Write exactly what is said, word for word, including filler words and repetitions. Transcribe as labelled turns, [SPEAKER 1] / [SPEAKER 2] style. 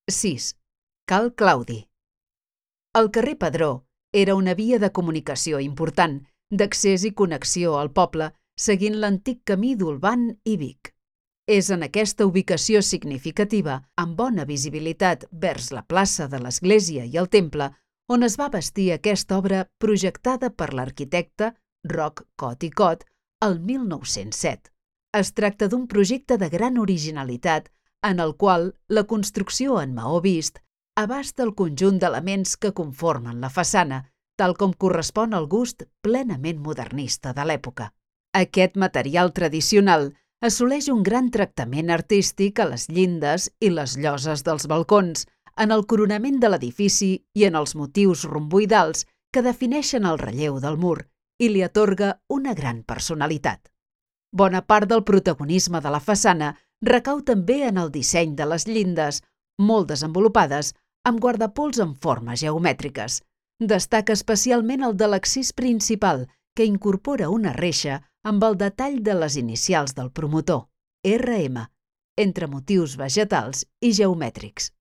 [SPEAKER 1] sis. Cal Claudi. El carrer Pedró era una via de comunicació important, d'accés i connexió al poble, seguint l'antic camí d'Olvan i Vic. És en aquesta ubicació significativa, amb bona visibilitat vers la plaça de l'Església i el Temple, on es va bastir aquesta obra projectada per l'arquitecte Roc Cot i Cot el mil nou-cents set. Es tracta d'un projecte de gran originalitat en el qual la construcció en maó vist abasta el conjunt d'elements que conformen la façana, tal com correspon al gust plenament modernista de l'època. Aquest material tradicional assoleix un gran tractament artístic a les llindes i les lloses dels balcons, en el coronament de l'edifici i en els motius romboidals que defineixen el relleu del mur i li atorga una gran personalitat. Bona part del protagonisme de la façana recau també en el disseny de les llindes, molt desenvolupades, amb guardapols en formes geomètriques. Destaca especialment el de l'accés principal, que incorpora una reixa amb el detall de les inicials del promotor, erre ema, entre motius vegetals i geomètrics.